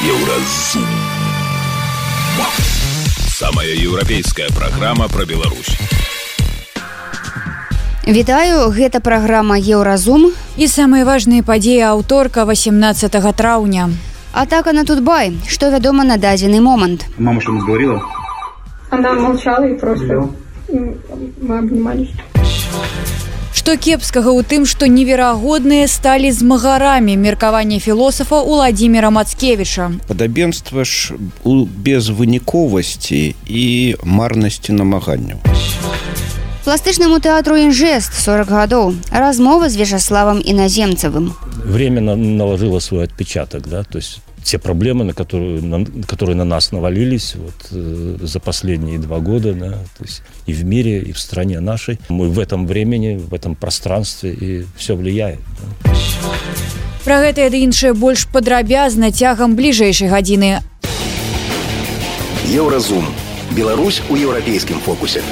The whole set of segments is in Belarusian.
Еўразум. Самая еўрапейская праграма пра Беларусь. Вітаю, гэта праграма Еўразум. І самыя важныя падзеі аўторка 18 траўня. Атака на Тутбай. Што вядома на дадзены момант? Мама что-нибудь говорила? Она молчала и просто мы обнимались. Што кепскага ў тым, што неверагодныя сталі змагарамі, меркаванне філосафа Уладзіміра Мацкевіча. Падабенства ж у безвыніковасці і марнасці намаганняў. Пластычнаму тэатру «Інжэст» 40 гадоў. Размова з Вячаславом Іназемцевым. Время наложило свой отпечаток, да, то есть те проблемы, которые на нас навалились за последние 2 года, да, то есть и в мире, и в стране нашей. Мы в этом времени, в этом пространстве, и все влияет. Да. Пра гэта і іншае больш падрабязна цягам бліжэйшай гадзіны. Еўразум. Беларусь у еўрапейскім фокусе.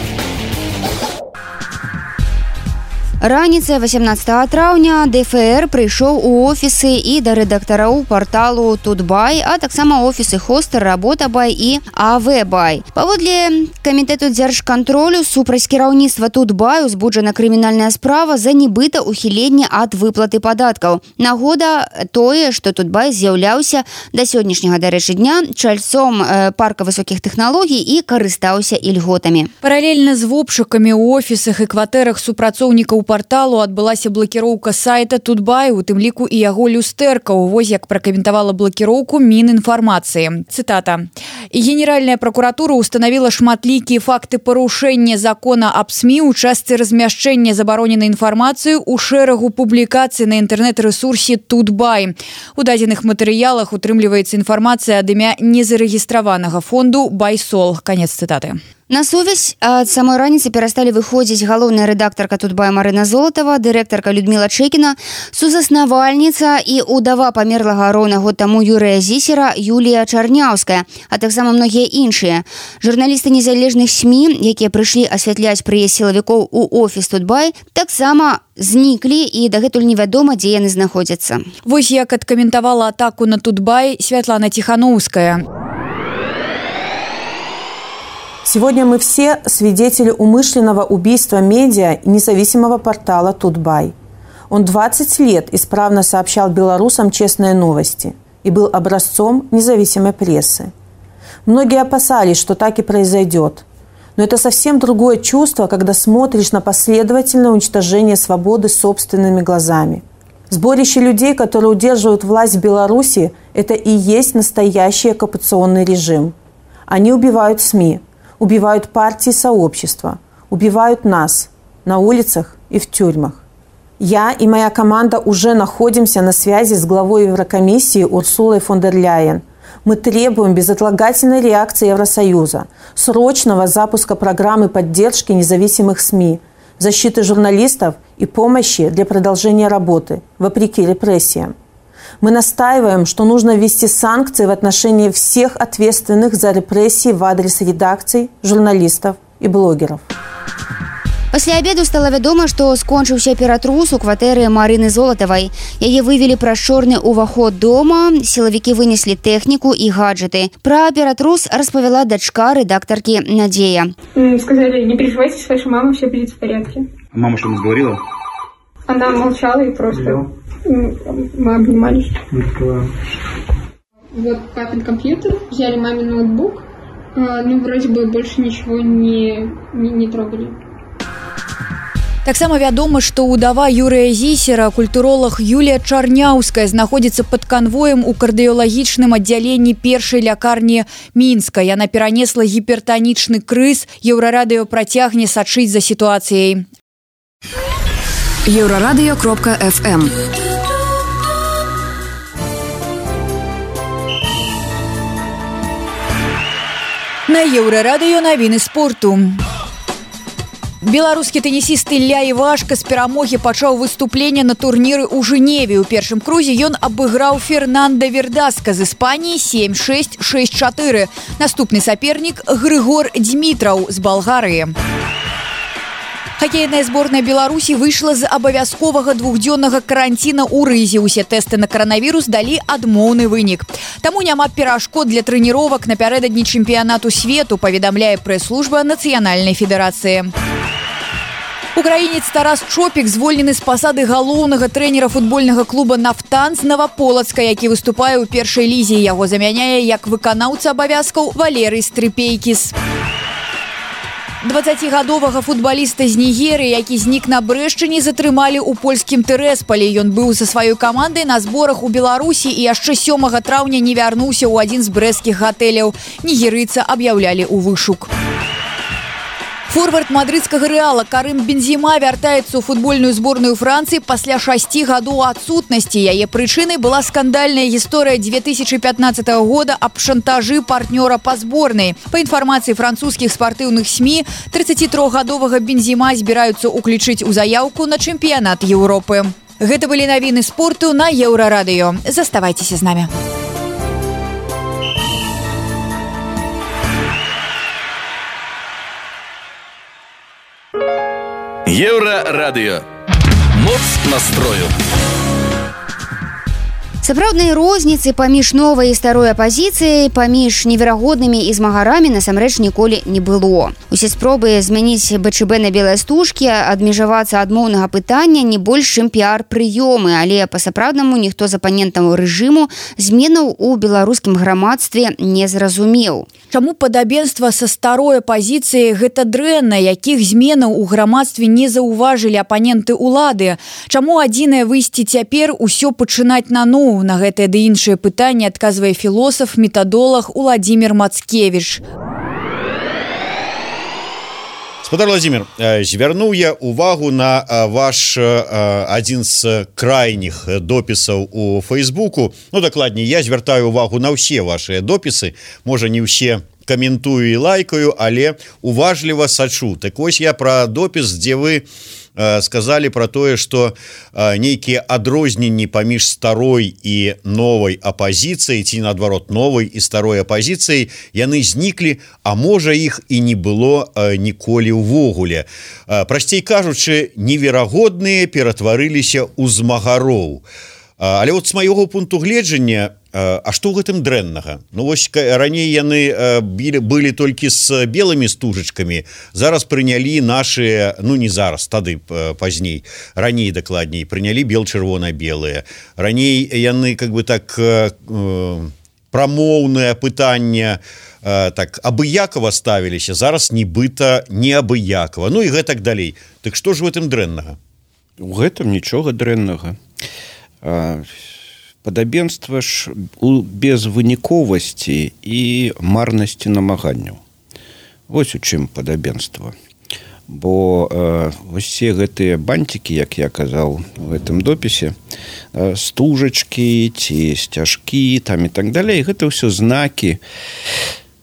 Раніцай 18 траўня ДФР прыйшоў у офісы і да рэдактараў парталу Тутбай, а таксама офісы Хостер, Работабай і АВБай. Паводле камітэту дзяржкантролю супраць кіраўніцтва Тутбай узбуджана крымінальная справа за нібыта ўхіленне ад выплаты падаткаў. Нагода тое, што Тутбай з'яўляўся да сённяшняга, дарэчы, дня чальцом парка высокіх тэхналогій і карыстаўся ільготамі. Паралельна з обшукамі ў офісах і кватэрах супрацоўнікаў парталу адбылася блакіроўка сайта Тутбай, у тым ліку і яго люстэркаў. Вось як пракаментавала блакіроўку Мінінфармацыі. Цытата. Генеральная прокуратура установила шматлікія факты парушэння закона аб СМІ ў частцы размяшчэння забароненай інфармацыі ў шэрагу публікацый на інтэрнэт-рэсурсе Тутбай. У дадзеных матэрыялах утрымліваецца інфармацыя ад імя незарэгістраванага фонду Байсол. Канец цытаты. На сувязь ад самой раніцы перасталі выходзіць галоўная рэдактарка Тутбай Марына Золатава, дырэктарка Людміла Чэкіна, сузаснавальніца і ўдава памерлага роўна год таму Юрыя Зісера Юлія Чарняўская, а таксама многія іншыя. Журналісты незалежных СМІ, якія прыйшлі асвятляць прыезд сілавікоў у офіс Тутбай, таксама зніклі і дагэтуль невядома, дзе яны знаходзяцца. Вось як адкаментавала атаку на Тутбай Святлана Тихановская. Сегодня мы все свидетели умышленного убийства медиа и независимого портала Тутбай. Он 20 лет исправно сообщал белорусам честные новости и был образцом независимой прессы. Многие опасались, что так и произойдет. Но это совсем другое чувство, когда смотришь на последовательное уничтожение свободы собственными глазами. Сборище людей, которые удерживают власть в Беларуси, это и есть настоящий оккупационный режим. Они убивают СМИ. Убивают партии и сообщества, убивают нас на улицах и в тюрьмах. Я и моя команда уже находимся на связи с главой Еврокомиссии Урсулой фон дер Ляйен. Мы требуем безотлагательной реакции Евросоюза, срочного запуска программы поддержки независимых СМИ, защиты журналистов и помощи для продолжения работы, вопреки репрессиям. Мы настаиваем, что нужно ввести санкции в отношении всех ответственных за репрессии в адрес редакций, журналистов и блогеров. Пасля абеду стала вядома, што скончыўся ператрус у кватэры Марыны Золатавай. Яе вывелі праз чорны ўваход дома, сілавікі вынеслі тэхніку і гаджеты. Пра ператрус распавяла дачка рэдактаркі Надзея. Сказали, не переживайте, с вашей мамой все будет в порядке. Мама что-нибудь говорила? Она молчала и просто мы обнимались. Вот папин компьютер, взяли мамин ноутбук, вроде бы больше ничего не трогали. Таксама вядома, што ўдава Юрыя Зісера, культуролог Юлія Чарняўская, знаходзіцца пад канвоем у кардыёлагічным аддзяленні першай лякарні Мінска. Яна перанесла гіпертанічны крыз. Еўрарадыё працягне сачыць за сітуацыяй. Еврорадио.FM. На Еўрарадыё навіны спорту. Беларускі тэнісіст Ілля Івашка з перамогі пачаў выступленне на турніры ў Жэневе. У першым крузе ён абыграў Фернанда Вердаска з Іспаніі 7-6, 6-4. Наступны сапернік Грыгор Дзмітраў з Балгарыі. Хоккейная зборная Беларусі выйшла з абавязковага двухдзённага каранціна ў Рызе. Усе тэсты на каранавірус далі адмоўны вынік. Таму няма перашкод для трэніровак напярэдадні чэмпіянату свету, паведамляе прэс-служба Нацыянальнай федэрацыі. Украінец Тарас Чопік звольнены з пасады галоўнага трэнера футбольнага клуба «Нафтан» з Новополацка, які выступае ў першай лізе. Яго замяняе як выканаўца абавязкаў Валерый Стрыпейкіс. 20гадовага футбаліста з Нігерыі, які знік на Брэшчыне, затрымалі ў польскім Тэрэсполі. Ён быў са сваёй камандай на зборах у Беларусі і яшчэ 7 траўня не вярнуўся ў адзін з брэсцкіх гатэляў. Нігерыйца аб'яўлялі ў вышук. Форвард мадрыдскага Рэала Карым Бензема вяртаецца ў футбольную зборную Францыі пасля 6 гадоў адсутнасці. Яе прычынай была скандальная гісторыя 2015 года аб шантажы партнёра па зборнай. Па інфармацыі французскіх спартыўных СМІ, 33гадовага Бензема збіраюцца ўключыць у заяўку на чэмпіянат Еўропы. Гэта былі навіны спорту на Еўрарадыё. Заставайцеся з намі. Еўрарадыё. Моц настрою. Сапраўднай розніцы паміж новай і старой апазіцыяй, паміж неверагоднымі і змагарамі насамрэч ніколі не было. Усе спробы змяніць БЧБ на белыя стужкі, адмежавацца ад моўнага пытання не больш чым піар-прыёмы, але па-сапраўднаму ніхто з апанентаў рэжыму зменаў у беларускім грамадстве не зразумеў. Чаму падабенства са старой апазіцыяй гэта дрэнна, якіх зменаў у грамадстве не заўважылі апаненты ўлады? Чаму адзінае выйсце цяпер усё пачынаць наноў? На гэтыя ды іншыя пытанні адказвае філосаф, метадолог Уладзімір Мацкевіч. Спадар Владимир, звярнуў я увагу на ваш адзін з крайніх допісаў у Фейсбуку. Ну, дакладней, я звяртаю увагу на ўсе вашыя допісы. Можа, не ўсе каментую і лайкаю, але уважліва сачу. Так вось я пра допіс, дзе вы сказали про тое, што нейкія адрозненні паміж старой і новай апазіцыяй, ці наадварот новай і старой апазіцыяй, яны зніклі, а можа іх і не было ніколі ўвогуле. Прасцей кажучы, неверагодныя ператварыліся ў змагароў. Але вот з майго пункту гледжання, а што ў гэтым дрэннага? Ну вось раней яны былі толькі з белымі стужачкамі, зараз прынялі нашыя, ну не зараз, тады пазней, раней дакладней, прынялі бел-чырвона-белыя. Раней яны как бы так прамоўнае пытанне так абыякова ставіліся, зараз нібыта неабыякова. Ну і гэтак далей. Так што ж у гэтым дрэннага? У гэтым нічога дрэннага. Падабенства ж у безвыніковасці і марнасці намаганняў. Вось у чым падабенства. Бо усе гэтыя бантики, як я казаў у гэтым допісе, стужачкі ці сцяжкі там і так далей, гэта ўсё знакі,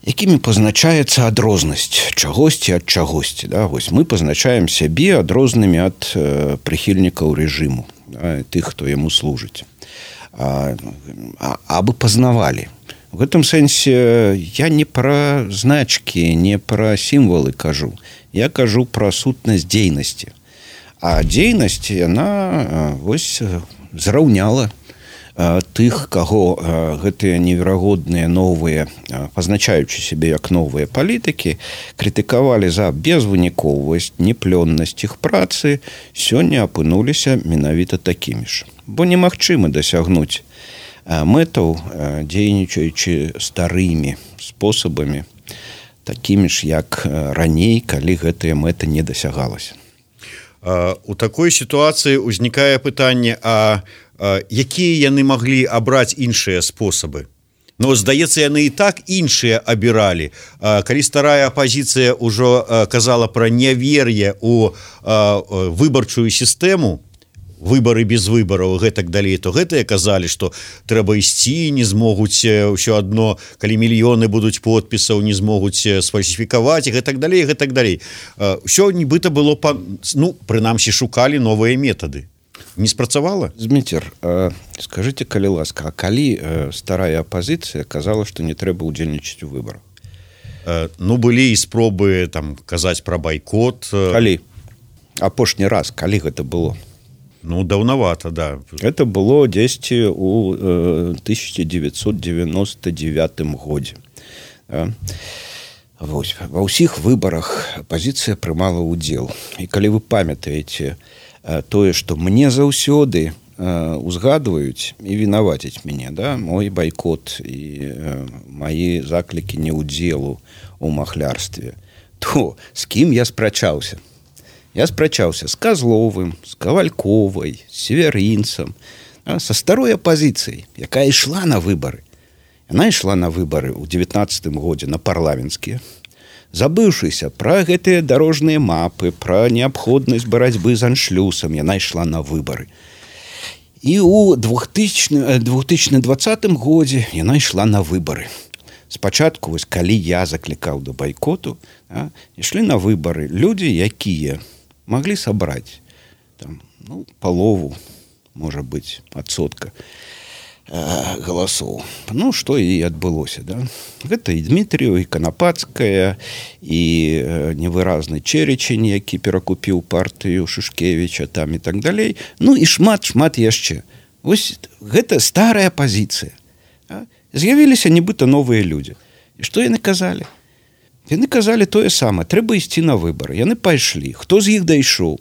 якімі пазначаецца адрознасць чагосьці ад чагосьці. Да? Вось мы пазначаем сябе адрознымі ад прыхільнікаў рэжыму, тых, хто яму служыць. Абы пазнавалі. В гэтым сэнсе я не пра значкі, не пра сімвалы кажу. Я кажу пра сутнасць дзейнасці. А дзейнасць, яна вось зраўняла тых, каго гэтыя неверагодныя новыя, пазначаючы сябе як новыя палітыкі, крытыкавалі за безвыніковасць, неплённасць іх працы, сёння апынуліся менавіта такімі ж. Бо немагчыма дасягнуць мэтаў, дзейнічаючы старымі спосабамі, такімі ж, як раней, калі гэтая мэта не дасягалася. У такой сітуацыі ўзнікае пытанне, а якія яны маглі абраць іншыя спосабы? Ну, здаецца, яны і так іншыя абіралі. Калі старая апазіцыя ўжо казала пра нявер'е ў выбарчую сістэму, выбары без выбараў, гэтак далей, то гэтыя казалі, што трэба ісці, не змогуць ўсё адно, калі мільёны будуць подпісаў, не змогуць сфальсіфікаваць, і гэтак далей, гэтак далей. Усё нібыта было, ну, прынамсі, шукалі новыя метады. Не спрацавала? Зміцер, скажыце, калі ласка, а калі старая апазіцыя казала, што не трэба ўдзельнічаць у выбарах? Ну, былі і спробы там казаць пра байкот. Калі? апошні раз, калі гэта было? Ну, даўнавата, да. Это было дзесьці у 1999 годзе. Вось. Ва ўсіх выбарах апазіцыя прымала ўдзел. І калі вы памятаеце тое, што мне заўсёды узгадваюць і вінаваціць мяне, да? Мой байкот і мае заклікі неўдзелу ў махлярстве, то з кім я спрачаўся? Я спрачаўся з Казловым, з Кавальковай, з Северінцам, са старой апазіцыяй, якая ішла на выбары. Яна ішла на выбары ў 19 годзе на парламенцкія, забыўшыся пра гэтыя дарожныя мапы, пра неабходнасць барацьбы з аншлюсам, яна ішла на выбары. І ў 2020 годзе яна ішла на выбары. Спачатку, вось, калі я заклікаў да байкоту, ішлі на выбары людзі, якія маглі сабраць там, ну, палову, можа быць, адсотка галасоў. Ну, што і адбылося, да? Гэта і Дмітрыеў, і Канапацкая, і невыразны Чэречень, які перакупіў партыю Шушкевіча, там і так далей. Ну, і шмат яшчэ. Вось гэта старая пазіцыя. З'явіліся нібыта новыя людзі. І што яны казалі? Яны казалі тое самае. Трэба ісці на выбары. Яны пайшлі. Хто з іх дайшоў?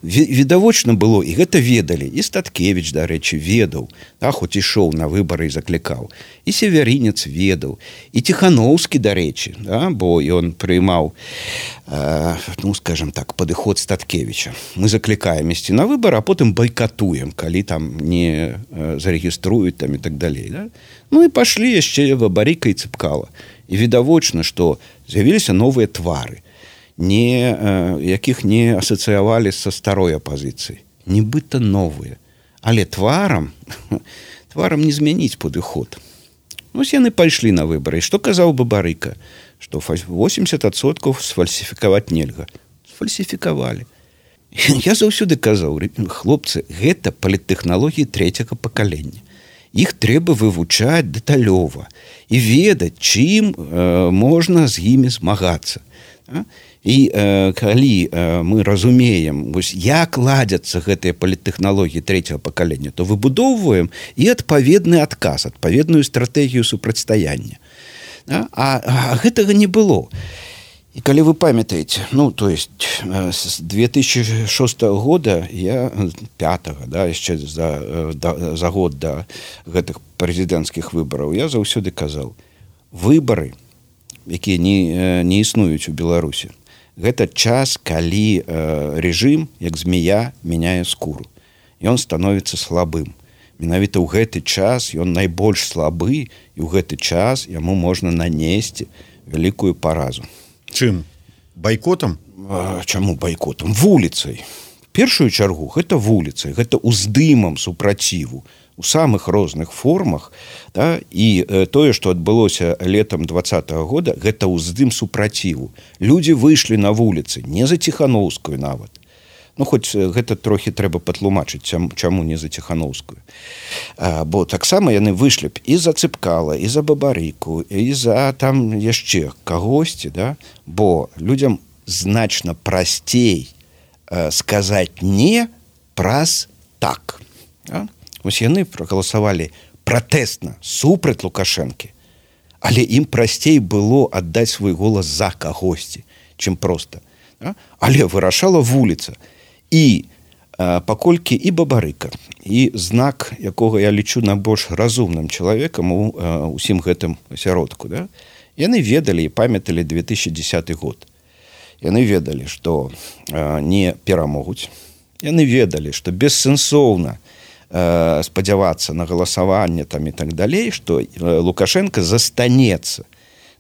Відавочна было, і гэта ведалі. І Статкевіч, дарэчы, ведаў, хоць ішоў на выбары і заклікаў. І Северінец ведаў. І Ціхановскі, дарэчы, бо ён прыймаў, ну, скажем так, падыход Статкевіча. Мы заклікаем ісці на выбары, а потым байкатуем, калі там не зарэгіструюць там і так далей. Да? Ну і пашлі яшчэ Бабарыка і Цыпкала. І відавочна, што з'явіліся новыя твары, якіх не асацыявалі са старой апазіцыяй. Нібыта новыя. Але тварам не змяніць падыход. Вось яны пайшлі на выбары. І што казаў Бабарыка? Што 80% сфальсіфікаваць нельга. Сфальсіфікавалі. Я заўсёды казаў, хлопцы, гэта паліттэхналогіі трэцяга пакалення. Іх трэба вывучаць дэталёва і ведаць, чым можна з імі змагацца. І калі мы разумеем, як ладзяцца гэтыя паліттэхналогіі трэцяга пакалення, то выбудоўваем і адпаведны адказ, адпаведную стратэгію супрацьстаяння. А гэтага не было. І калі вы памятаеце, ну, то есть з 2006 года, я 5-го, да, яшчэ за год да гэтых прэзідэнцкіх выбараў, я заўсёды казаў, выбары, якія не існуюць у Беларусі, гэта час, калі рэжым, як змея, мяняе скуру. Ён становіцца слабым. Менавіта ў гэты час ён найбольш слабы, і ў гэты час яму можна нанесці вялікую паразу. Чым? Байкотам? Чаму байкотам? Вуліцай. В першую чаргу гэта вуліцай, гэта ўздымам супраціву у самых розных формах, да? І тое, што адбылося летам 20-го года, гэта ўздым супраціву. Людзі выйшлі на вуліцы, не за Ціхановскую нават. Ну, хоць гэта трохі трэба патлумачыць, чаму не за Ціхановскую. Бо таксама яны выйшлі б і за Цыпкала, і за Бабарыку, і за там яшчэ кагосьці, да? Бо людзям значна прасцей сказаць не праз так. Да? Вось яны прагаласавалі пратэсна супраць Лукашэнкі, але ім прасцей было аддаць свой голас за кагосьці, чым проста. Да? Але вырашала вуліца. І паколькі і Бабарыка, і знак, якога я лічу найбольш разумным чалавекам у усім гэтым асяродку, да? Яны ведалі і памяталі 2010 год. Яны ведалі, што не перамогуць. Яны ведалі, што бессэнсоўна спадзявацца на галасаванне там і так далей, што Лукашенко застанецца,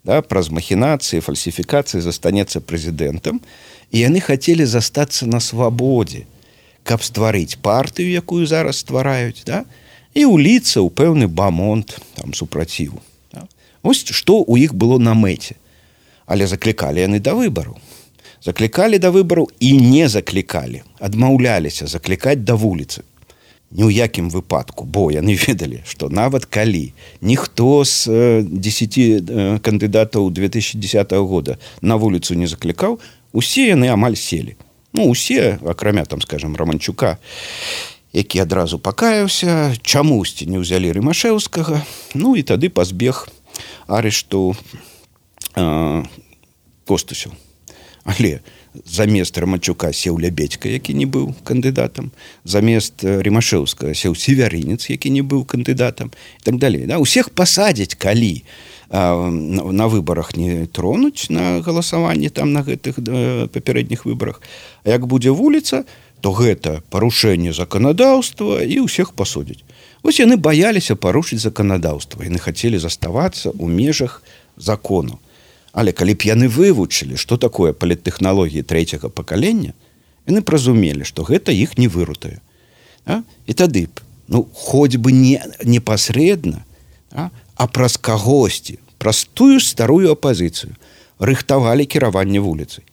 да, праз махінацыі, фальсіфікацыі застанецца прэзідэнтам, і яны хацелі застацца на свабодзе, каб стварыць партыю, якую зараз ствараюць, да, і ўліцца ў пэўны бамонт там супраціву. Да. Вось што ў іх было на мэце. Але заклікалі яны да выбараў. Заклікалі да выбараў і не заклікалі, адмаўляліся заклікаць да вуліцы. Ні ў якім выпадку, бо яны ведалі, што нават калі ніхто з 10 кандыдатаў 2010 года на вуліцу не заклікаў, усе яны амаль селі. Ну, усе, акрамя, там, скажем, Романчука, які адразу пакаяўся, чамусьці не ўзялі Рымашэўскага, ну, і тады пазбег арышту Костусяў. Але замест Романчука сеў Лябедька, які не быў кандыдатам, замест Рымашэўскага сеў Севярынец, які не быў кандыдатам, і так далей. Да? Усіх пасадзяць, калі на выбарах не тронуць на галасаванне там на гэтых папярэдніх выбарах. А як будзе вуліца, то гэта парушэнне заканадаўства і ўсіх пасудзяць. Вось яны баяліся парушыць заканадаўства. Яны хацелі заставацца ў межах закону. Але калі б яны вывучылі, што такое паліттэхналогіі трэцяга пакалення, яны б разумелі, што гэта іх не вырутае. І тады б, ну, хоць бы не непасрэдна, а праз кагосьці, праз тую старую апазіцыю рыхтавалі кіраванне вуліцай.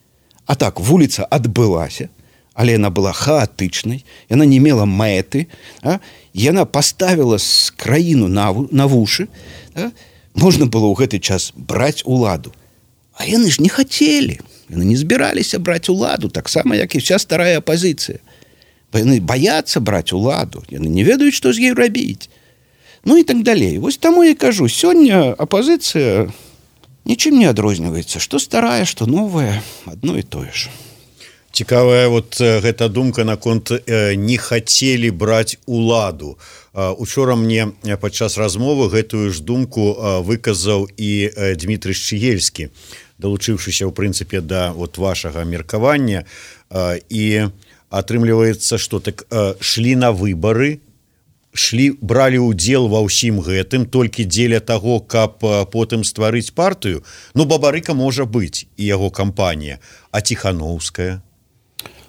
А так, вуліца адбылася, але яна была хаатычнай, яна не мела мэты, яна паставіла краіну на вушы, можна было ў гэты час браць уладу. А яны ж не хацелі, яны не збіраліся браць уладу, таксама, як і вся старая апазіцыя. Яны баяцца браць уладу, яны не ведаюць, што з ёй рабіць. Ну і так далей. Вось таму я кажу, сёння апазіцыя нічым не адрозніваецца. Што старая, што новая, адно і тое ж. Цікавая вот гэта думка наконт не хацелі браць уладу. Учора мне падчас размовы гэтую ж думку выказаў і Дмітрый Шчыгельскі, далучыўшыся ў прынцыпе да вот вашага меркавання, і атрымліваецца, што так шлі на выбары, бралі ўдзел ва ўсім гэтым толькі дзеля таго, каб потым стварыць партыю. Ну, Бабарыка можа быць і яго кампанія, а Ціхановская?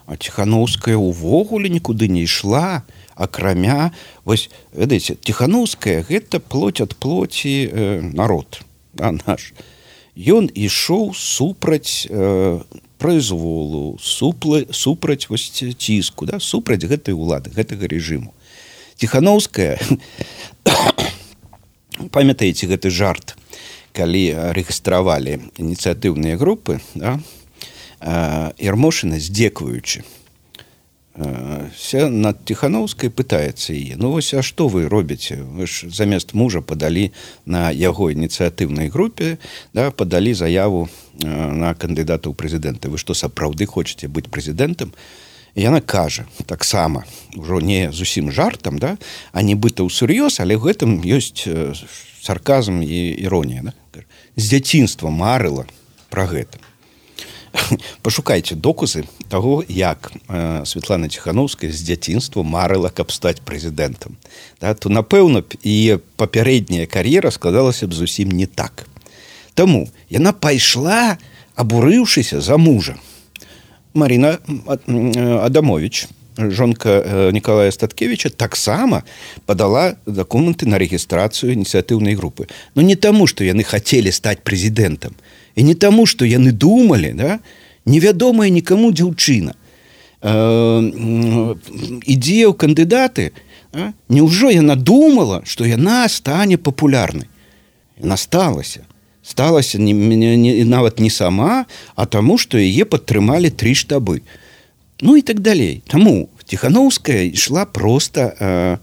А Ціхановская увогуле нікуды не ішла, акрамя, вось, ведаеце, Ціхановская гэта плоть ад плоці народ, наш. Ён ішоў супраць произволу, супраць вось ціску, супраць гэтай улады, гэтага рэжыму. Ціхановская, памятаеце гэты жарт, калі рэгістравалі ініцыятыўныя групы, Ярмошына, здзекваючы, над Ціхановскай пытаецца яе, ну вось, а што вы робіце? Вы ж замест мужа падалі на яго ініцыятыўнай групе, падалі заяву на кандыдата ў прэзідэнты. Вы што, сапраўды хочаце быць прэзідэнтам? І яна кажа, таксама, ужо не зусім жартам, а нібыта ўсур'ёз, але ў гэтым ёсць сарказм і іронія. З дзяцінства марыла пра гэта. Пашукайце доказы таго, як Святлана Ціхановская з дзяцінства марыла, каб стаць прэзідэнтам. То, напэўна, і папярэдняя кар'ера складалася б зусім не так. Таму яна пайшла, абурыўшыся за мужа. Марина Адамович, жонка Николая Статкевича, таксама падала документы на рэгістрацыю ініцыятыўнай групы. Но не таму, што яны хацелі стаць прэзідэнтам, і не таму, што яны думалі, невядомая нікаму дзяўчына ідзе ў кандыдаты, няўжо яна думала, што яна стане папулярнай? Яна сталася нават не сама, а таму, што яе падтрымалі 3 штабы. Ну і так далей. Таму Ціхановская ішла проста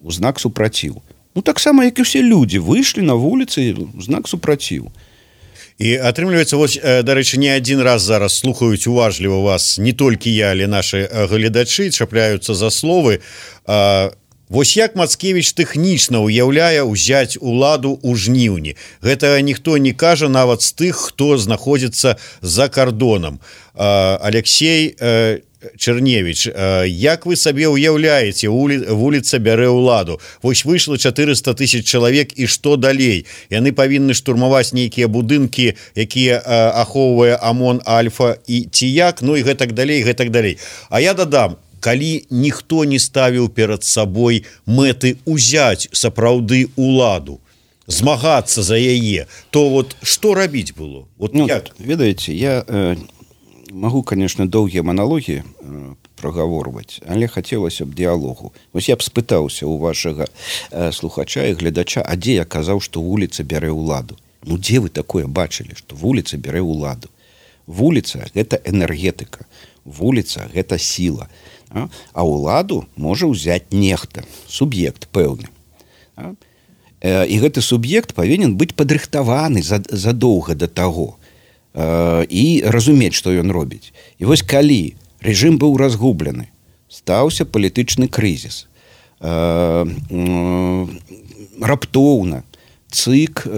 ў знак супраціў. Ну таксама, як і ўсе людзі, выйшлі на вуліцы ў знак супраціў. І атрымліваецца, вось, дарэчы, не адзін раз зараз слухаюць уважліва вас не толькі я, але нашы гледачы, чапляюцца за словы. Вось як Мацкевіч тэхнічна ўяўляе ўзяць уладу ў жніўні. Гэта ніхто не кажа нават з тых, хто знаходзіцца за кардонам. Алексей Черневич, як вы сабе ўяўляеце, вуліца бярэ ўладу? Вось выйшла 400 000 чалавек, і што далей? Яны павінны штурмаваць нейкія будынкі, якія ахоўвае ОМОН, Альфа і Тияк, ну і гэтак далей, гэтак далей. А я дадам, калі ніхто не ставіў перад сабой мэты ўзяць сапраўды уладу, змагацца за яе, то вот што рабіць было? Вот як? Ведаеце, я магу, конечно, доўгія маналогі прагаворваць, але хацелася б дыялогу. Вось я б спытаўся у вашага слухача і гледача, а дзе я казаў, што вуліца бярэ ўладу? Ну, дзе вы такое бачылі, што вуліца бярэ ўладу? Вуліца – гэта энергетыка. Вуліца – гэта сіла. А ўладу можа ўзяць нехта, суб'ект пэўны. І гэты суб'ект павінен быць падрыхтаваны задоўга да таго і разумець, што ён робіць. І вось калі рэжым быў разгублены, стаўся палітычны крызіс, раптоўна ЦИК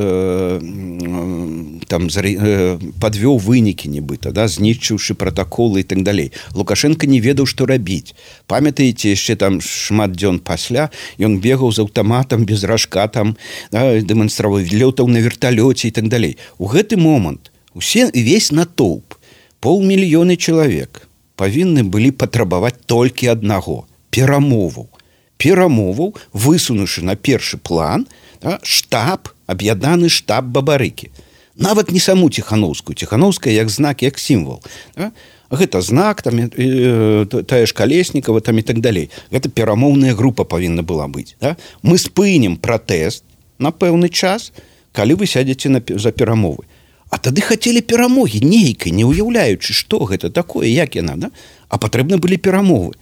подвёў вынікі нібыта, знішчыўшы пратаколы і так далей. Лукашенко не ведаў, што рабіць. Памятаеце, яшчэ там шмат дзён пасля ён бегаў з аўтаматам без ражка, дэманстраваў, лётаў на верталёце і так далей. У гэты момант весь натоўп, 500 000 чалавек павінны былі патрабаваць толькі аднаго – перамоваў, высунуўшы на першы план штаб, аб'яднаны штаб Бабарыкі. Нават не саму Ціханаўскую. Ціханаўская як знак, як сімвал. Гэта знак, тая ж Калеснікава і так далей. Гэта перамоўная група павінна была быць. Мы спынім пратэст на пэўны час, калі вы сядзеце за перамовы. А тады хацелі перамогі нейкай, не ўяўляючы, што гэта такое, як яна. А патрэбны былі перамовы.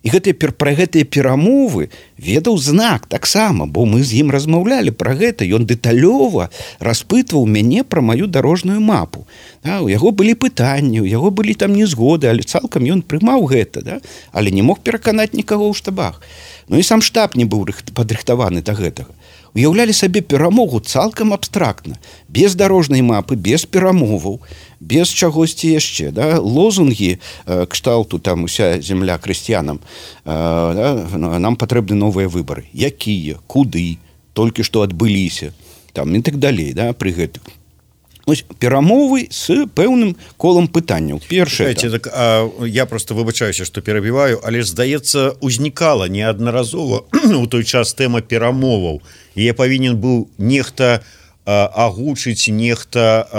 І пра гэтыя перамовы ведаў знак таксама, бо мы з ім размаўлялі пра гэта. Ён дэталёва распытваў мяне пра маю дарожную мапу. У яго былі пытанні, у яго былі там незгоды, але цалкам ён прымаў гэта, але не мог пераканаць нікаго ў штабах. Ну і сам штаб не быў падрыхтаваны да гэтага. Уяўлялі сабе перамогу цалкам абстрактна, без дарожнай мапы, без перамоваў, без чагосьці яшчэ. Лозунгі кшталту «Уся земля крысціянам», нам патрэбны новыя выбары. Якія, куды, толькі што адбыліся, і так далей, пры гэтых. Ось перамовы з пэўным колам пытанняў. Першае. Я просто выбачаюся, што перабіваю, але здаецца, узнікала неаднаразова у той час тэма перамоваў. І я павінен быў нехта агучыць, нехта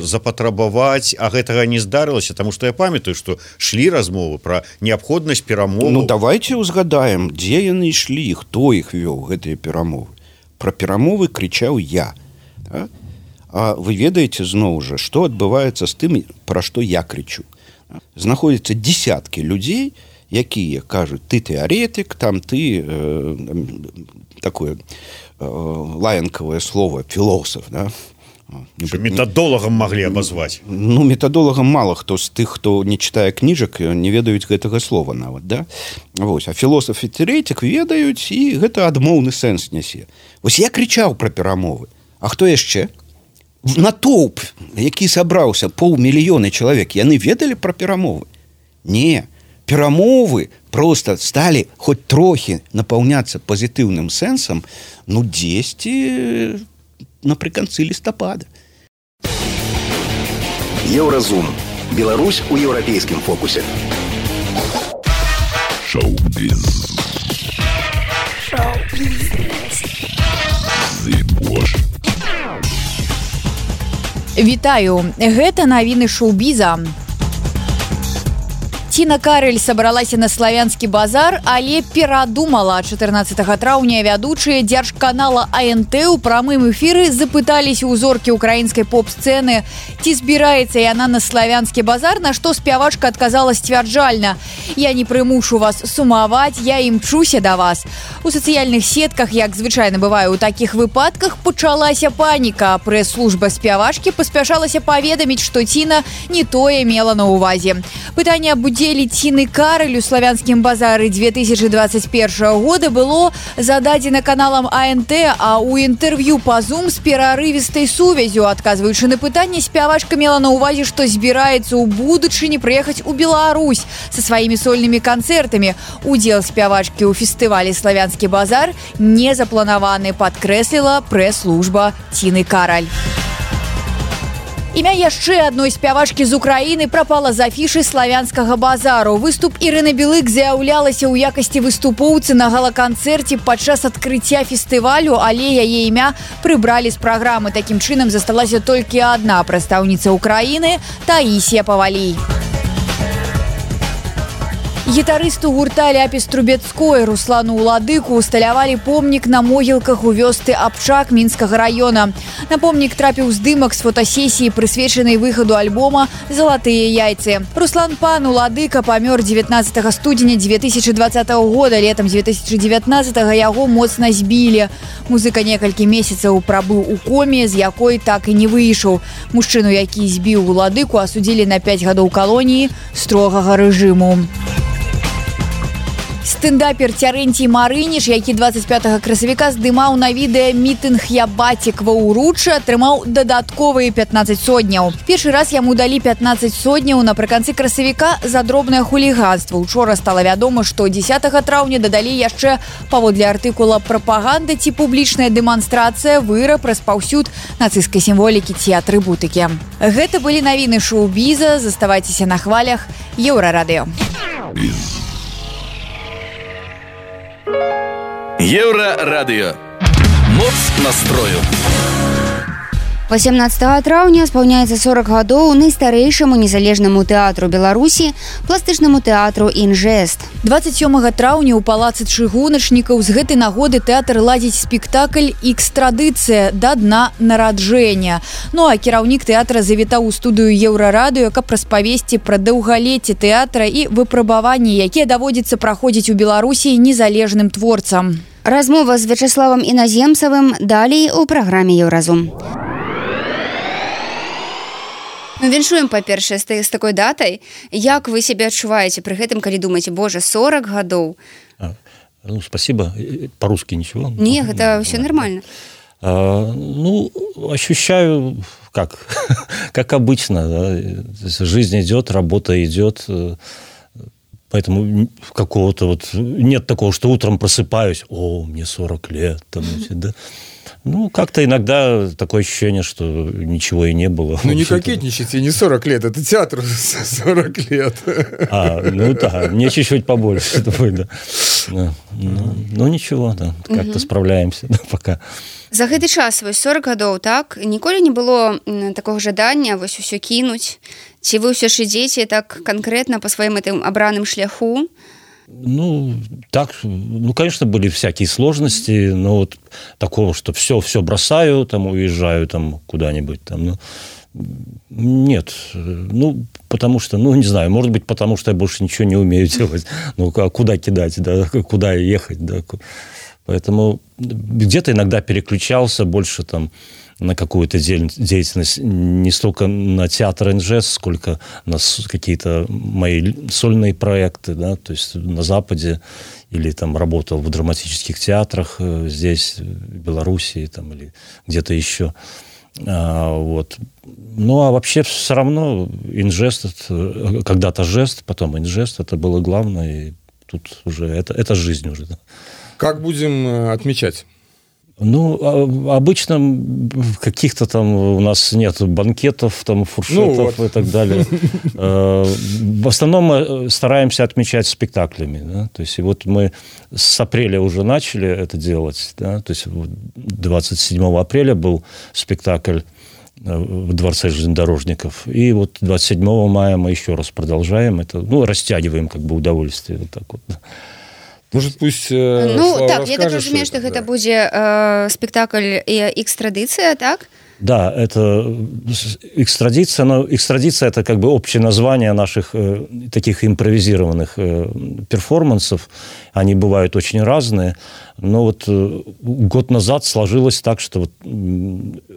запатрабаваць, а гэтага не здарылася, таму што я памятаю, што шлі размовы пра неабходнасць перамоваў. Ну давайте узгадаем, дзе яны ішлі, хто іх вёў, гэтыя перамовы. Пра перамовы крычаў я. А вы ведаеце зноў жа, што адбываецца з тым, пра што я крычу. Знаходзяцца дзесяткі людзей, якія кажуць, ты тэарэтык, ты такое лаянкавае слово, філосаф. Метадолагам маглі абазваць. Метадолагам мала хто з тых, хто не чытае кніжак, не ведаюць гэтага слова нават. А філосаф і тэарэтык ведаюць, і гэта адмоўны сэнс нясе. Вось я крычаў пра перамовы. А хто яшчэ? Натоўп, які сабраўся 500 000 чалавек, яны ведалі пра перамовы? Не, перамовы проста сталі хоць трохі напаўняцца пазітыўным сэнсам, дзесьці напрыканцы лістапада. Еўразум. Беларусь у еўрапейскім фокусе. Шоу-біз. Вітаю, гэта навіны шоу-біза. Ціна Карэль сабралася на славянскі базар, але перадумала. 14 траўня вядучыя дзяржканала АНТ ў прамым эфіры запыталіся ў зоркі украінскай поп-сцэны, ці збіраецца яна на славянскі базар, на што спявачка адказала сцвярджальна: «Я не прымушу вас сумаваць, я імчуся да вас». У сацыяльных сетках, як звычайна бывае ў такіх выпадках, пачалася паніка. Прэс-служба спявачкі паспяшалася паведаміць, што Ціна не тое мела на ўвазе. Пытанне аб удзеле Ціны Карэль у славянскім базары 2021 года было зададзена каналам АНТ, а ў інтэрв'ю па Zoom з перарывістай сувязю, адказваючы на пытанне, спявачка мела на ўвазе, што збіраецца ў будучыні прыехаць у Беларусь са сваімі сольнымі канцэртамі. Удзел спявачкі ў фестывалі «Славянскі базар» не запланаваны, падкрэсліла прэс-служба Ціны Карэль. Імя яшчэ адной спявачкі з Украіны прапала з афішы славянскага базару. Выступ Ірыны Білык з'яўлялася ў якасці выступоўцы на гала-канцэрце падчас адкрыцця фестывалю, але яе імя прыбралі з праграмы. Такім чынам засталася толькі адна прадстаўніца Украіны – Таісія Павалій. Гітарысту гурта «Ляпіс Трубецкой» Руслану Уладыку усталявалі помнік на могілках у вёсцы Абчак Мінскага района. На помнік трапіў здымак з фотасесіі, прысвечанай выхаду альбома «Залатыя яйцы». Руслан пан Уладыка памёр 19 студзеня 2020 года. Летом 2019 яго моцна збілі. Музыка некалькі месяцаў прабыў у коме, з якой так і не выйшаў. Мужчыну, які збіў Уладыку, асудзілі на 5 гадоў калоніі строгага рэжыму. Стендапер Цярэнцій Марыніш, які 25 красавіка здымаў на відэа мітынг «Я бацік» ва Ўруччы, атрымаў дадатковыя 15 сотняў. Першы раз яму далі 15 сотняў напрыканцы красавіка за дробнае хуліганства. Учора стала вядома, што 10 траўня дадалі яшчэ паводле артыкула «Прапаганда ці публічная дэманстрацыя, выраб, распаўсюд нацысцкай сімволікі ці атрыбутыкі». Гэта былі навіны шоу-біза. Заставайцеся на хвалях Еўрарадыё. Еўрарадыё. Моц настрою. 18 траўня спаўняецца 40 гадоў найстарэйшаму незалежнаму тэатру Беларусі, пластычнаму тэатру «Інжэст». 27 траўня ў палацы чыгуначнікаў з гэтай нагоды тэатр ладзіць спектакль «Ікстрадыцыя. Да дна нараджэння». Ну а кіраўнік тэатра завітаў у студыю Еўрарадыё, каб распавесці пра даўгалецце тэатра і выпрабаванні, якія даводзіцца праходзіць у Беларусі незалежным творцам. Размова з Вячаславам Іназемцавым далей у праграме «Еўразум». Віншуем, па-першае, з такой датай. Як вы сябе адчуваеце пры гэтым, калі думаеце, боже, 40 гадоў? Ну, спасибо. По-русски ничего? Не, это все нормально. Ну, ощущаю, как обычно. Да? Жизнь идет, работа идет. Поэтому какого-то вот... Нет такого, что утром просыпаюсь, о, мне 40 лет. Там, да? Ну, как-то иногда такое ощущение, что ничего и не было. Ну, не кокетничайте, не 40 лет, это театр 40 лет. Ну да, мне чуть-чуть побольше. Да. Ну, ничего, да, как-то справляемся пока. За гэты час, вось 40 гадоў, так, ніколі не было такого жадання вось усё кінуць? Ці вы ўсё ж ідзеце так канкрэтна па сваім гэтым абраным шляху? Ну, так, ну, конечно, были всякие сложности, но вот такого, что все бросаю, там, уезжаю там куда-нибудь, там, ну, нет, ну, потому что, ну, не знаю, может быть, потому что я больше ничего не умею делать, ну, а куда кидать, да, куда ехать, да, поэтому где-то иногда переключался больше там на какую-то деятельность, не столько на театр «Инжэст», сколько на какие-то мои сольные проекты, да, то есть на Западе, или там работал в драматических театрах здесь, в Белоруссии, там, или где-то еще. Вот. Ну, а вообще все равно «Инжэст», когда-то «Жест», потом «Инжэст», это было главное, и тут уже, это жизнь уже. Да. Как будем отмечать? Ну, обычно каких-то там у нас нет банкетов, там, фуршетов и так далее. В основном мы стараемся отмечать спектаклями. Да? То есть, и вот мы с апреля уже начали это делать. Да? То есть, 27 апреля был спектакль в Дворце железнодорожников. И вот 27 мая мы еще раз продолжаем это. Ну, растягиваем как бы удовольствие. Вот так вот. Может, пусть ну, Слава так, я так разумею, что это будет спектакль «Икстрадиция», так? Да, это экстрадиция, но экстрадиция – это как бы общее название наших таких импровизированных перформансов. Они бывают очень разные, но вот год назад сложилось так, что вот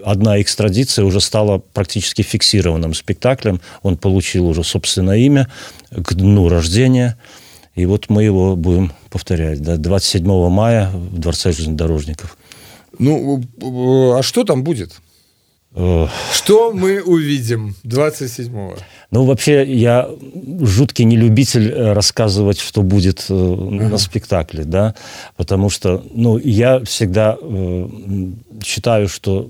одна экстрадиция уже стала практически фиксированным спектаклем. Он получил уже собственное имя к дню рождения. И вот мы его будем повторять, да, 27 мая в Дворце железнодорожников. Ну, а что там будет? Что мы увидим 27-го? Ну, вообще, я жуткий нелюбитель рассказывать, что будет на спектакле, да, потому что, ну, я всегда считаю, что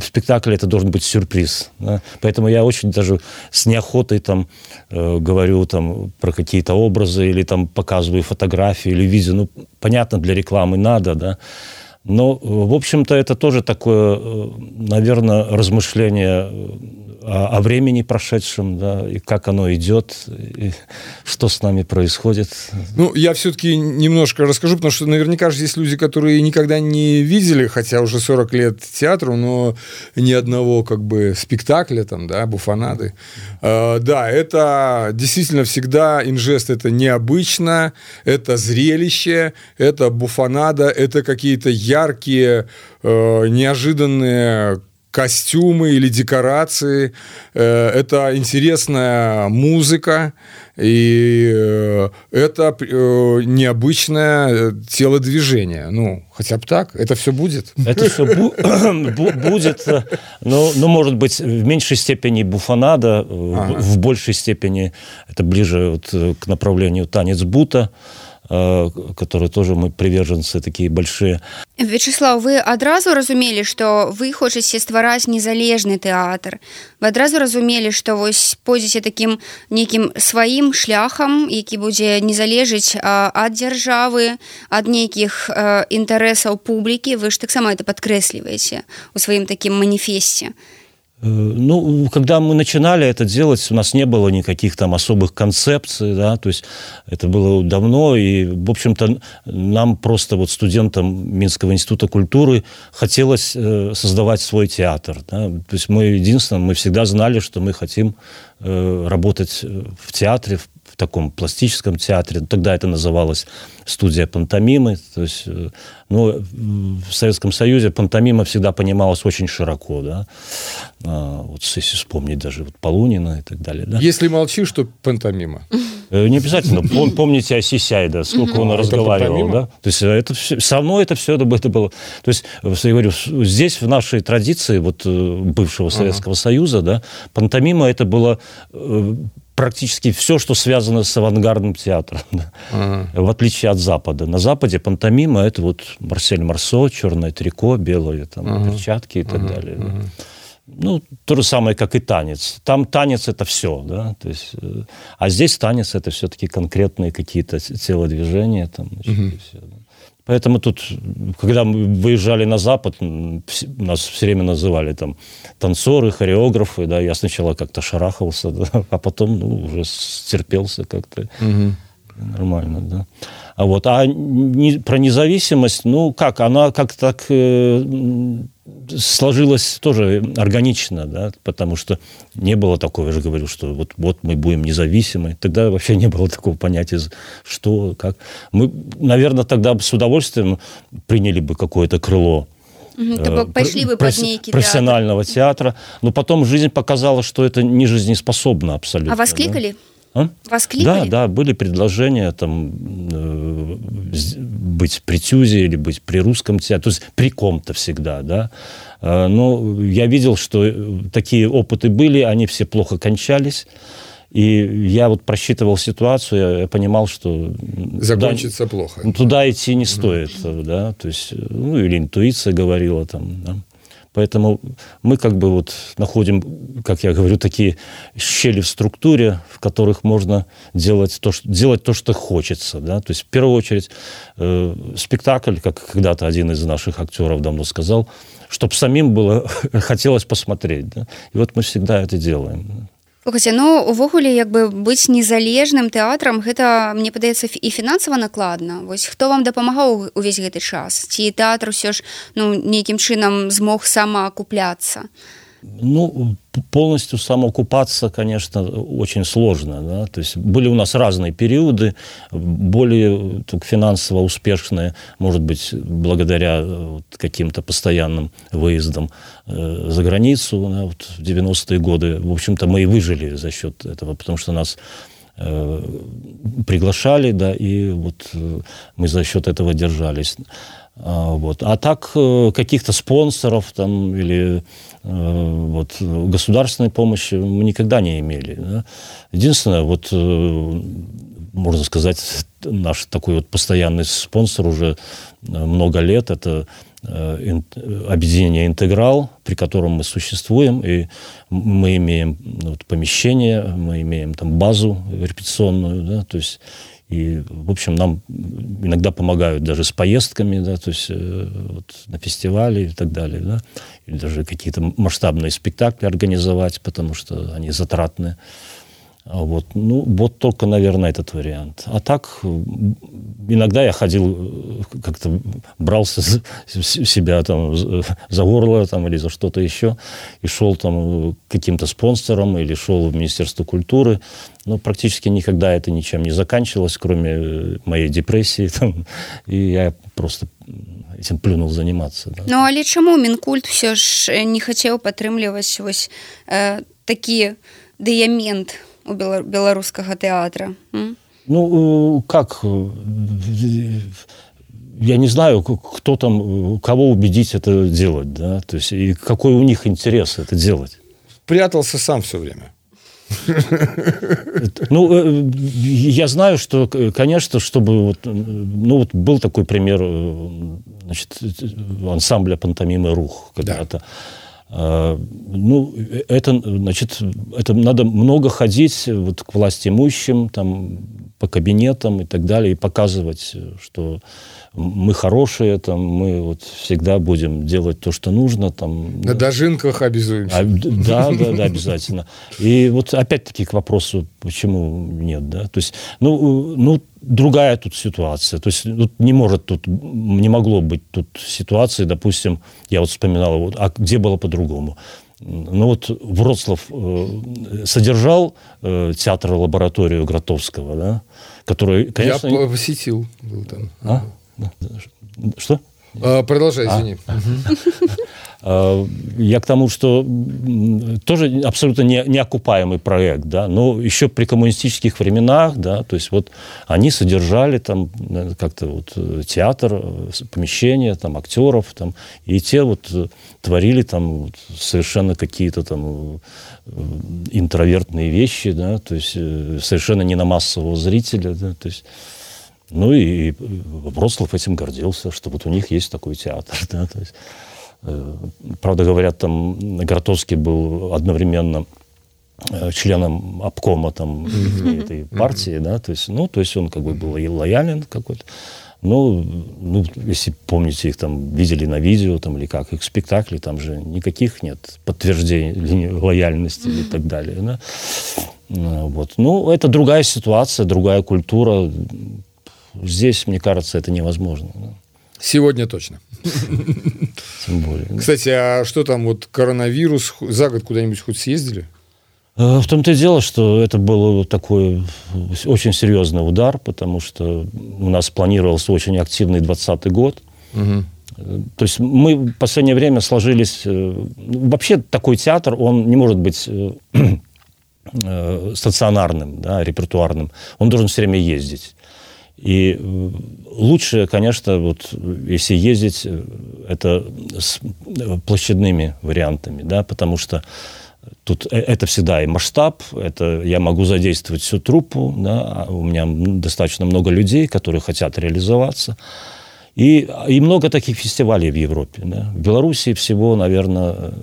спектакль это должен быть сюрприз, да? Поэтому я очень даже с неохотой там говорю там про какие-то образы или там показываю фотографии или видео, ну, понятно, для рекламы надо, да. Но, в общем-то, это тоже такое, наверное, размышление о времени прошедшем, да, и как оно идет, и что с нами происходит. Ну, я все-таки немножко расскажу, потому что наверняка же есть люди, которые никогда не видели, хотя уже 40 лет театру, но ни одного как бы спектакля, там, да, буфонады. Да, это действительно всегда инжест, это необычно, это зрелище, это буфонада, это какие-то яркие, неожиданные костюмы или декорации, это интересная музыка, и это необычное телодвижение. Ну, хотя бы так, это все будет. Это все будет, но, может быть, в меньшей степени буфонада, в большей степени это ближе вот к направлению танец бута, которые тоже мы приверженцы такие большие. Вячеслав, вы адразу разумелі, што вы хочаце ствараць незалежны тэатр? Вы адразу разумелі, што вось пойдзеце такім нейкім сваім шляхам, які будзе не залежыць ад дзяржавы, ад нейкіх інтарэсаў публікі? Вы ж таксама это падкрэсліваеце у сваім такім маніфесце. Ну, когда мы начинали это делать, у нас не было никаких там особых концепций, да, то есть это было давно, и, в общем-то, нам просто вот студентам Минского института культуры хотелось создавать свой театр, да, то есть мы всегда знали, что мы хотим работать в театре, в таком пластическом театре. Тогда это называлось студия пантомимы. То есть, ну, в Советском Союзе пантомима всегда понималась очень широко. Да? Вот если вспомнить даже вот Полунина и так далее. Да? Если молчишь, то пантомима. Не обязательно. Помните Осисяй, да, сколько он разговаривал. Да? То есть это все, со мной это все это было. То есть, я говорю, здесь в нашей традиции вот, бывшего Советского Союза, да, пантомима это было практически все, что связано с авангардным театром, в отличие от Запада. На Западе пантомима – это вот Марсель Марсо, черное трико, белые там, перчатки и так далее. Да. Ну, то же самое, как и танец. Там танец – это все, да, то есть, а здесь танец – это все-таки конкретные какие-то телодвижения, там, значит, и все, да. Поэтому тут, когда мы выезжали на Запад, нас все время называли там танцоры, хореографы, да, я сначала как-то шарахался, да, а потом, ну, уже стерпелся как-то. Нормально, да. А про независимость, ну, как, она как-то так сложилась тоже органично, да, потому что не было такого, я же говорю, что вот мы будем независимы. Тогда вообще не было такого понятия, что, как. Мы, наверное, тогда с удовольствием приняли бы какое-то крыло пошли бы под некий профессионального театра, но потом жизнь показала, что это не жизнеспособно абсолютно. А вас кликали? Да? Вас кликали? Да, были предложения там, быть при ТЮЗе или быть при русском театре, то есть при ком-то всегда, да. Но я видел, что такие опыты были, они все плохо кончались. И я вот просчитывал ситуацию, я понимал, что закончится плохо. Туда идти не стоит, да, то есть, ну, или интуиция говорила там, да. Поэтому мы как бы вот находим, как я говорю, такие щели в структуре, в которых можно делать то, что хочется. Да? То есть, в первую очередь, спектакль, как когда-то один из наших актеров давно сказал, чтобы самим было хотелось посмотреть. Да? И вот мы всегда это делаем. Слухайте, ну, увогуле, як бы быць незалежным тэатрам, гэта, мне падаецца, і фінансава накладна. Вось хто вам дапамагаў увесь гэты час? Ці тэатр усё ж, ну, нейкім чынам змог самаакупляцца? Ну, полностью самоокупаться, конечно, очень сложно. Да? То есть были у нас разные периоды, более финансово успешные, может быть, благодаря каким-то постоянным выездам за границу. Да? Вот в 90-е годы, в общем-то, мы и выжили за счет этого, потому что нас приглашали, да, и вот мы за счет этого держались. Вот. А так каких-то спонсоров там, или вот, государственной помощи мы никогда не имели. Да? Единственное, вот, можно сказать, наш такой вот постоянный спонсор уже много лет, это объединение «Интеграл», при котором мы существуем, и мы имеем вот, помещение, мы имеем там базу репетиционную, да, то есть И, в общем, нам иногда помогают даже с поездками, да, то есть вот, на фестивали и так далее, да, или даже какие-то масштабные спектакли организовать, потому что они затратны. Вот. Ну, вот только, наверное, этот вариант. А так, иногда я ходил, как-то брался себя там за горло там, или за что-то еще, и шел там к каким-то спонсорам, или шел в Министерство культуры. Но практически никогда это ничем не заканчивалось, кроме моей депрессии. Там, и я просто этим плюнул заниматься. Да. Ну, але чаму Мінкульт все ж не хотел падтрымліваць вось такі дыямент у белорусского театра? Ну, как? Я не знаю, кто там, кого убедить это делать, да, то есть, и какой у них интерес это делать. Прятался сам все время. Ну, я знаю, что, конечно, чтобы... Вот, ну, вот был такой пример, значит, ансамбля пантомимы «Рух» когда-то. Да. Ну, это, значит, это надо много ходить вот, к властимущим, там, по кабинетам и так далее, и показывать, что мы хорошие, там, мы вот всегда будем делать то, что нужно. Там, на дожинках обязуемся. Да, обязательно. И вот опять-таки к вопросу, почему нет, да, то есть, ну, другая тут ситуация, то есть тут не могло быть тут ситуации, допустим, я вот вспоминал, вот, а где было по-другому? Ну вот Вроцлав содержал театр-лабораторию Гротовского, да, который, конечно... Я посетил. Был там. А? Что? Продолжай, извини. Я к тому, что тоже абсолютно неокупаемый проект, да, но еще при коммунистических временах, да, то есть вот они содержали там как-то вот театр, помещения, там актеров, там, и те вот творили там вот совершенно какие-то там интровертные вещи, да, то есть совершенно не на массового зрителя, да, то есть. Ну и Вроцлав этим гордился, что вот у них есть такой театр, да, то есть. Правда, говорят, там Гротовский был одновременно членом обкома там, этой партии, да, то есть, ну, то есть он как бы был лоялен какой-то. Ну, если помните, их там видели на видео там, или как, их спектакли, там же никаких нет подтверждений лояльности и так далее. Да? Вот. Ну, это другая ситуация, другая культура. Здесь, мне кажется, это невозможно. Да? Сегодня точно. Тем более. Кстати, а что там, вот коронавирус, за год куда-нибудь хоть съездили? В том-то и дело, что это был такой очень серьезный удар, потому что у нас планировался очень активный 2020 год. Угу. То есть мы в последнее время сложились... Вообще такой театр, он не может быть стационарным, да, репертуарным. Он должен все время ездить. И лучше, конечно, вот, если ездить, это с площадными вариантами, да, потому что тут это всегда и масштаб, это я могу задействовать всю труппу, да, у меня достаточно много людей, которые хотят реализоваться. И много таких фестивалей в Европе. Да. В Беларуси всего, наверное,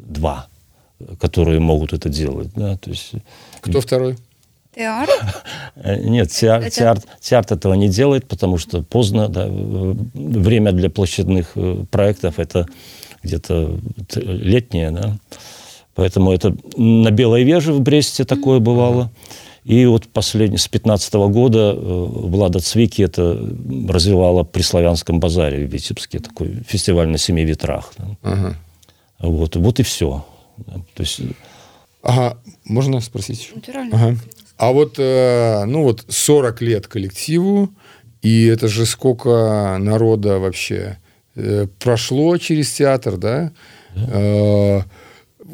2, которые могут это делать. Да, то есть... Кто второй? Театр? Нет, театр этого не делает, потому что поздно. Да, время для площадных проектов это где-то летнее. Да. Поэтому это на Белой Веже в Бресте такое бывало. И вот с 2015 года Влада Цвики это развивала при Славянском базаре в Витебске, такой фестиваль на 7 ветрах. Да. Ага. Вот и все. То есть... Ага, можно спросить? Натурально. Ага. А вот, ну вот 40 лет коллективу, и это же сколько народа вообще прошло через театр, да?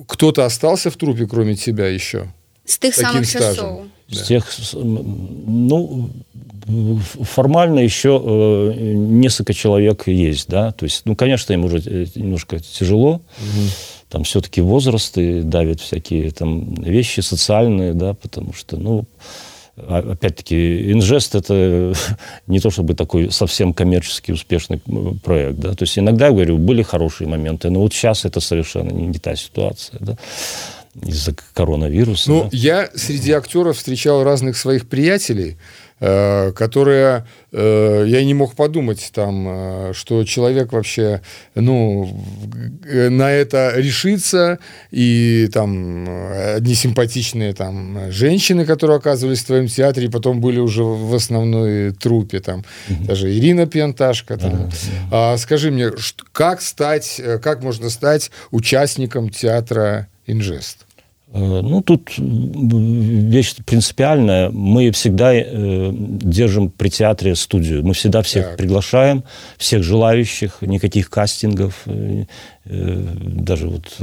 Кто-то остался в труппе, кроме тебя еще? С тех самых часов. Да. С тех, ну, формально еще несколько человек есть, да, то есть, ну, конечно, им уже немножко тяжело, там все-таки возраст и давят всякие там вещи социальные, да, потому что, ну, опять-таки, Инжест это не то чтобы такой совсем коммерчески успешный проект, да, то есть иногда, я говорю, были хорошие моменты, но вот сейчас это совершенно не та ситуация, да, из-за коронавируса. Ну, да. я среди актеров встречал разных своих приятелей, которая... Я не мог подумать, там, что человек вообще на это решится, и там одни симпатичные там, женщины, которые оказывались в твоем театре, и потом были уже в основной труппе, там, даже Ирина Пьянташка. Скажи мне, как можно стать участником театра «Инжест»? Тут вещь принципиальная. Мы всегда держим при театре студию. Мы всегда всех приглашаем, всех желающих, никаких кастингов. Даже вот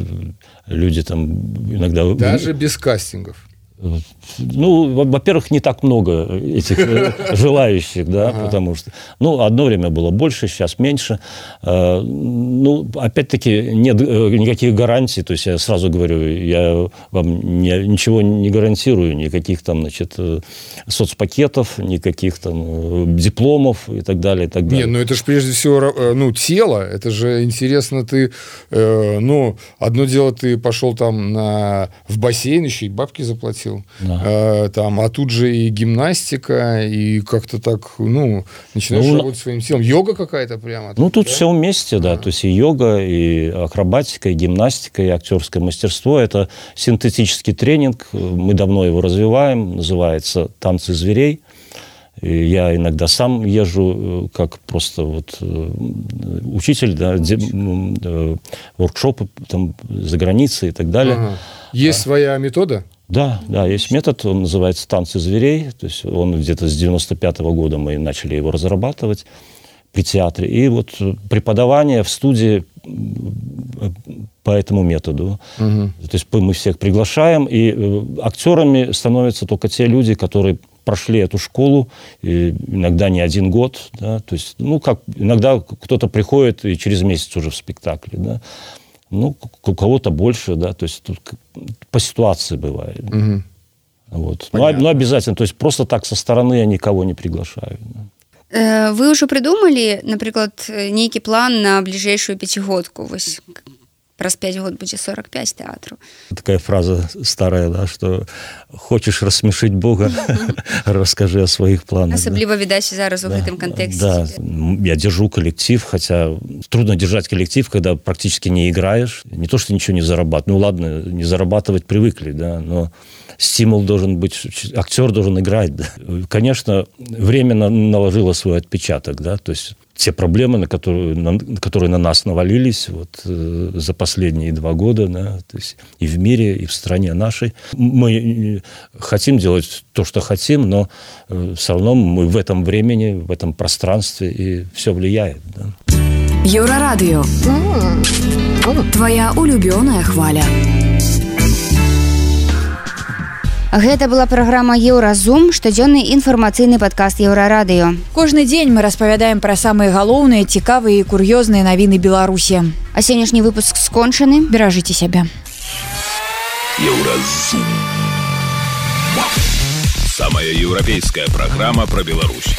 люди там иногда... Даже без кастингов? Во-первых, не так много этих желающих, да, потому что, одно время было больше, сейчас меньше. Опять-таки, нет никаких гарантий, то есть я сразу говорю, я вам ничего не гарантирую, никаких там, соцпакетов, никаких там дипломов и так далее, и так далее. Это же прежде всего, тело, это же интересно, ты, одно дело, ты пошел там в бассейн, еще и бабки заплатил. Да. А тут же и гимнастика, и как-то так, начинаешь работать своим телом. Йога какая-то прямо. Тут все вместе, да. То есть и йога, и акробатика, и гимнастика, и актерское мастерство. Это синтетический тренинг. Мы давно его развиваем. Называется «Танцы зверей». И я иногда сам езжу как просто учитель, да, воркшопы там за границей и так далее. Есть своя метода? Да, есть метод, он называется «Танцы зверей», то есть он где-то с 95-го года мы начали его разрабатывать при театре. И преподавание в студии по этому методу. То есть мы всех приглашаем, и актерами становятся только те люди, которые прошли эту школу, и иногда не 1 год, да, то есть, иногда кто-то приходит и через месяц уже в спектакле, да. У кого-то больше, да, то есть тут по ситуации бывает. Но обязательно, то есть просто так со стороны я никого не приглашаю. Да. Вы уже придумали, например, некий план на ближайшую пятигодку? Праз 5 год будзе 45 тэатру. Такая фраза старая, да, что хочешь рассмешить Бога, расскажи о своих планах. Особливо, видать, зараз у гэтым контексте. Да, я держу коллектив, хотя трудно держать коллектив, когда практически не играешь. Не то, что ничего не зарабатывать. Ладно, не зарабатывать привыкли, да, но стимул должен быть, актер должен играть. Да. Конечно, время наложило свой отпечаток, да, то есть те проблемы, которые на нас навалились за последние 2 года, да, то есть и в мире, и в стране нашей. Мы хотим делать то, что хотим, но все равно мы в этом времени, в этом пространстве, и все влияет. Да. Еўрарадыё. Твоя улюбёная хваля. Гэта была праграма «Еўразум», штодзённы інфармацыйны падкаст «Еўрарадыё». Кожны дзень мы распавядаем пра самыя галоўныя, цікавыя і кур'ёзныя навіны Беларусі. А сённяшні выпуск скончаны. Беражыце сябе. «Еўразум». Самая европейская программа про Беларусь.